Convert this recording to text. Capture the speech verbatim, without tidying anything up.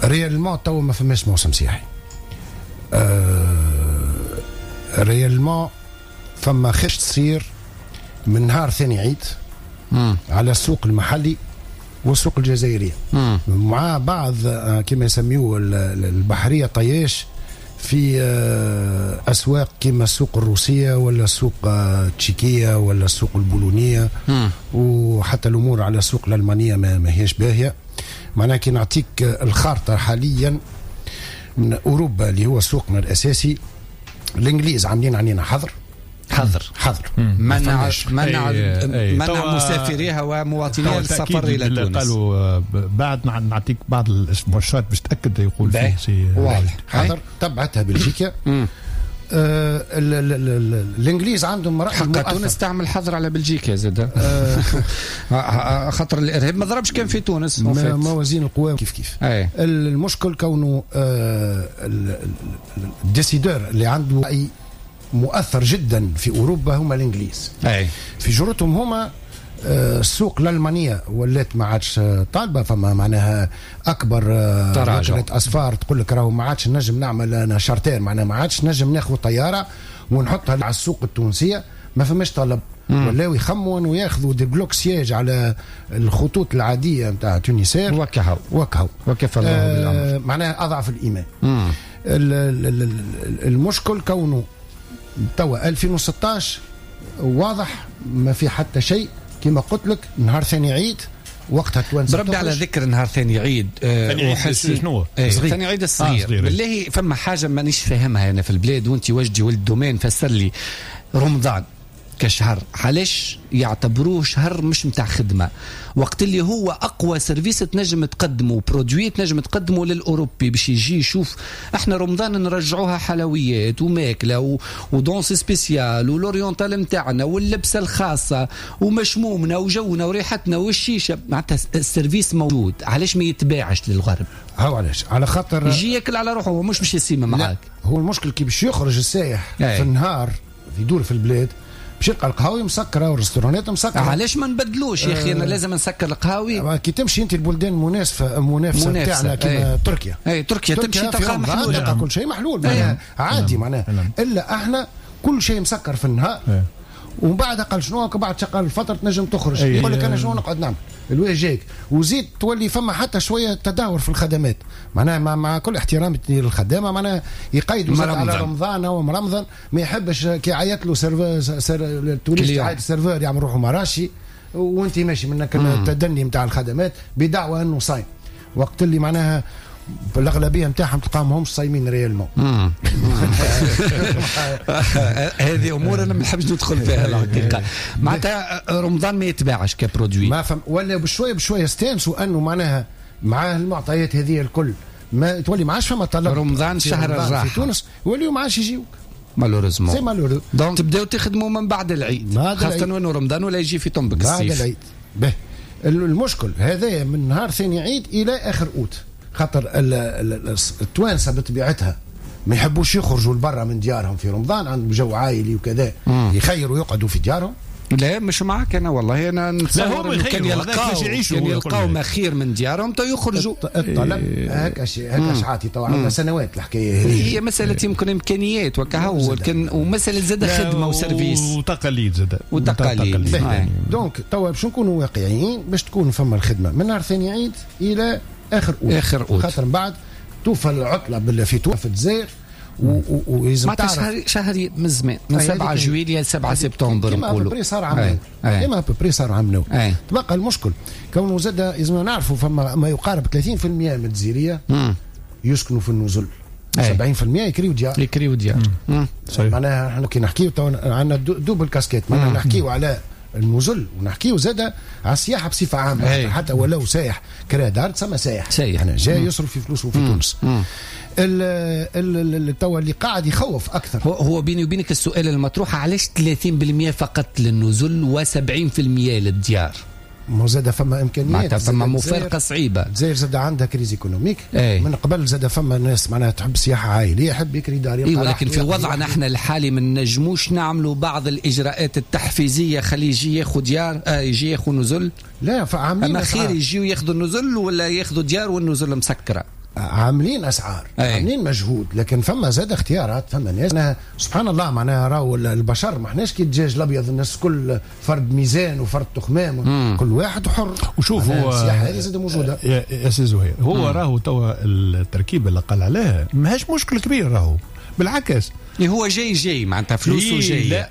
réellement تو ما فماش موسم سياحي. آه réellement فما خش تصير من نهار ثاني عيد مم. على السوق المحلي والسوق الجزائرية مم. مع بعض كما يسميوه البحرية طياش في اسواق كما السوق الروسية ولا السوق التشيكيه ولا السوق البولونيه، مم. وحتى الامور على السوق الالمانية ما, ما هيش باهيه. معناها كي نعطيك الخارطة حاليا من اوروبا اللي هو سوقنا الاساسي، الانجليز عاملين علينا حظر حظر حظر منع منع أي أي منع مسافريها ومواطنيها السفر الى تونس. قالوا بعد نعطيك بعض المؤشرات باش تاكد يقول فيه سي واضح. حظر تبعتها بلجيكا. آه ال ال ال الانجليز عندهم راي حق تونس تعمل حظر على بلجيكا زاد آه خاطر الارهاب ما ضربش كان في تونس. موازين القوى كيف كيف. أي. المشكل كونه آه ال décideur اللي عنده راي مؤثر جدا في اوروبا هما الانجليز. أي. في جرتهم هما السوق الالمانية ولات ما عادش طالبه، فما معناها اكبر وكالة اسفار تقول لك راهو ما عادش نجم نعمل انا charter، معناها ما عادش نجم ناخذ طيارة ونحطها على السوق التونسية، ما فماش طلب. ولاو يخموا انه ياخذوا des blocs sièges على الخطوط العادية نتاع Tunisair وكهو وكهو وكفى الله بالامر. آه معناها اضعف الايمان. مم. المشكل كونه توا ألفين وستطاش واضح ما في حتى شيء كما قلت لك. نهار ثاني عيد وقتها التوانسة بربي على ذكر نهار ثاني عيد ثاني عيد شنو؟ ثاني عيد الصغير. آه بالله فما حاجة مانيش فاهمها انا في البلاد، وانت وجدي ولد domaine فسر لي. رمضان كشهر علاش يعتبروه شهر مش متاع خدمة، وقت اللي هو اقوى service تنجم تقدمه، produit تنجم تقدمه للاوروبي باش يجي يشوف. احنا رمضان نرجعوها حلويات وماكله و... و danse spéciale وال oriental نتاعنا واللبسه الخاصة ومشمومنا وجونا وريحتنا والشيشه، معناتها ال service موجود، علاش ما يتباعش للغرب؟ هاو علاش؟ على خاطر يجي ياكل على روحه، هو مش باش يسيم معاك. هو المشكل كي باش يخرج السائح في النهار يدور في البلاد باش يلقى القهاوي مسكره والريستورانات مسكره. علاش ما نبدلوش يا اخي؟ انا لازم نسكر القهاوي. كي تمشي انت البلدان المنافسة منافسه تاعنا كيما تركيا. اي تركيا, تركيا تمشي تلقى محلول، تلقى كل شيء محلول معناها عادي معناها. الا احنا كل شيء مسكر في النهار. أي. ومن بعد قال شنو بعد شقال الفترة تنجم تخرج. يقول لك انا شنو نقعد نعمل الوجه جايك. وزيد تولي فما حتى شوية تدهور في الخدمات، معناها مع, مع كل احترامي للخدامه معناها يقيدوا على رمضان او مرمضان، ما يحبش كي يعيط له serveur ser ال touriste يعيط serveur يعمل روحه مراشي وانت ماشي منك التدني نتاع الخدمات بدعوى انه صايم، وقت اللي معناها الاغلبية نتاعهم تلقاهم همش صايمين réellement. هذه امور انا ما نحبش ندخل فيها الحقيقة. معناتها رمضان ما يتباعش ك produit ما فهم، ولا بشوية بشوية استانسوا انه معناها مع المعطيات هذه الكل ما تولي ما عادش فما طلب. رمضان شهر الراحة في تونس يوليو ما عادش يجيوك malheureusement. c'est malheureux. donc تبداو تخدموا من بعد العيد، خاصة انه رمضان ولا يجي في طنبك الصيف بعد العيد. به المشكل هذا من نهار ثاني عيد الى اخر اوت، خاطر التوانسة بطبيعتها ما يحبوش يخرجوا لبرا من ديارهم في رمضان، عندهم جو عائلي وكذا، يخيروا يقعدوا في ديارهم. لا مش معك انا والله، انا نتصور كان يلقاو كان يلقاو ما خير من ديارهم تو يخرجوا. الطلب هكا هكا شعاتي تو عندنا سنوات الحكاية هذه. هي مسالة يمكن امكانيات وكهو، ومسالة زاد خدمة و service وتقاليد زاد وتقاليد. donc توا باش نكونوا واقعيين باش تكون فما الخدمة من نهار ثاني عيد الى اخر اوت، اخر اوت خاطر من بعد توفى العطلة في تونس في الجزائر ولازم تعرف شهر شهر من زمان من سبعة جويلية ل سبعة سبتمبر نقولوا كيما à peu près صار عام كيما à peu près صار عام. تبقى المشكل كونه زاد لازم نعرفوا فما ما يقارب ثلاثين بالمئة من الجزيريه يسكنوا في النزل، سبعين بالمئة يكريو ديار يكريو ديار. معناها احنا كي نحكيو عندنا double casquette، معناها نحكيو على النزل ونحكيو زاده على السياحة بصفة عامة. أي. حتى ولو سايح كرا دار تسمى سايح، سايح يعني جاي يصرف في فلوسه في تونس. توا اللي قاعد يخوف اكثر هو, هو بيني وبينك السؤال المطروح علاش ثلاثين بالمئة فقط للنزل وسبعين بالمئة للديار؟ ما زاد فما امكانيات، فما مفارقه صعيبة. الجزائر زاد عندها crise économique. أي. من قبل زاد فما ناس معناها تحب سياحة عائلية يحب يكري دار. إيه ولكن في وضعنا احنا الحالي ما نجموش نعملوا بعض الاجراءات التحفيزيه، خليه يجي ياخذ ديار، آه يجي ياخذ نزل. لا فعاملين اما خير يجيو ياخذوا النزل ولا ياخذوا ديار والنزل مسكره. عاملين اسعار، أي. عاملين مجهود، لكن فما زاد اختيارات، فما ناس سبحان الله معناها راهو البشر ما احناش كي الدجاج الابيض، الناس كل فرد ميزان وفرد تخمام، كل واحد حر. وشوف هو السياحة هذه زاد موجودة يا, يا سي زهير، هو راهو توا التركيبة اللي قال عليها ماهيش مشكل كبير، راهو بالعكس هو جاي جاي معناتها فلوسه جاية.